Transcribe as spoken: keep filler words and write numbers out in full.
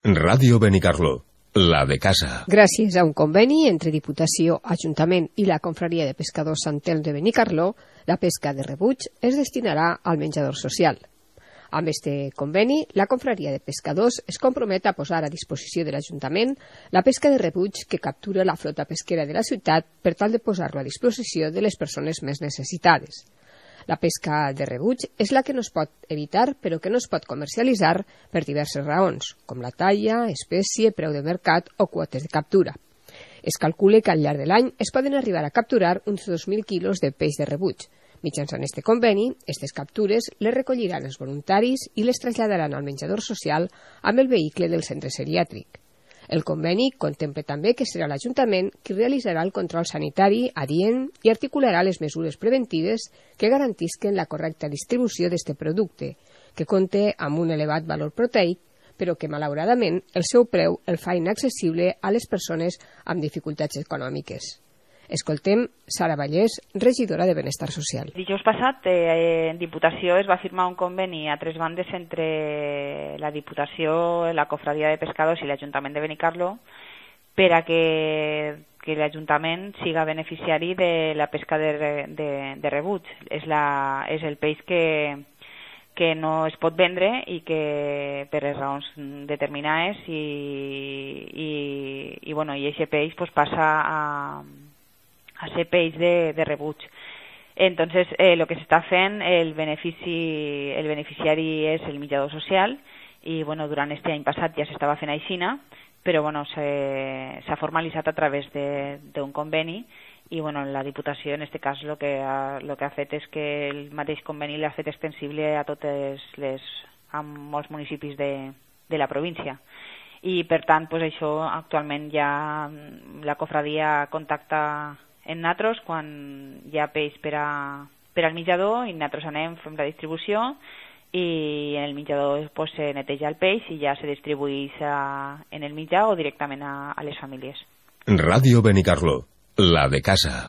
Ràdio Benicarló, la de casa. Gràcies a un conveni entre Diputació, Ajuntament i la Confraria de Pescadors Sant Elm de Benicarló, la pesca de rebuig es destinarà al menjador social. Amb este conveni, la Confraria de Pescadors es compromet a posar a disposició de l'Ajuntament la pesca de rebuig que captura la flota pesquera de la ciutat per tal de posar-lo a disposició de les persones més necessitades. La pesca de rebuig és la que no es pot evitar però que no es pot comercialitzar per diverses raons, com la talla, espècie, preu de mercat o quotes de captura. Es calcula que al llarg de l'any es poden arribar a capturar uns dos mil quilos de peix de rebuig. Mitjançant este conveni, aquestes captures les recolliran els voluntaris i les traslladaran al menjador social amb el vehicle del centre geriàtric. El conveni contempla també que serà l'Ajuntament qui realitzarà el control sanitari adient i articularà les mesures preventives que garantisquen la correcta distribució d'este producte, que compta amb un elevat valor proteic, però que, malauradament, el seu preu el fa inaccessible a les persones amb dificultats econòmiques. Escoltem Sara Vallès, regidora de Benestar Social. Dijous passat, eh, en Diputació es va firmar un conveni a tres bandes entre la Diputació, la Cofradia de Pescadors i l'Ajuntament de Benicarló per a que, que l'Ajuntament siga beneficiari de la pesca de, de, de rebuig. És, la, és el peix que, que no es pot vendre i que per les raons determinades i, i, i, bueno, i aquest peix pues, passa a a ser peix de, de rebuig. Entonces, eh, lo que se está fent, el benefici, el beneficiari és el menjador social i, bueno, durant este any passat ja s'estava fent aixina, però, bueno, s'ha formalitzat a través d'un conveni i, bueno, la Diputació, en este cas, lo que ha, lo que ha fet és que el mateix conveni l'ha fet extensible a totes les, a molts municipis de, de la província. I, per tant, pues, això actualment ja la cofradia contacta en natros quan hi ha peix per, a, per al menjador i natros anem, fem la distribució i en el menjador pues, se neteja el peix i ja se distribueix a, en el menjar o directament a, a les famílies. Ràdio Benicarló, la de casa.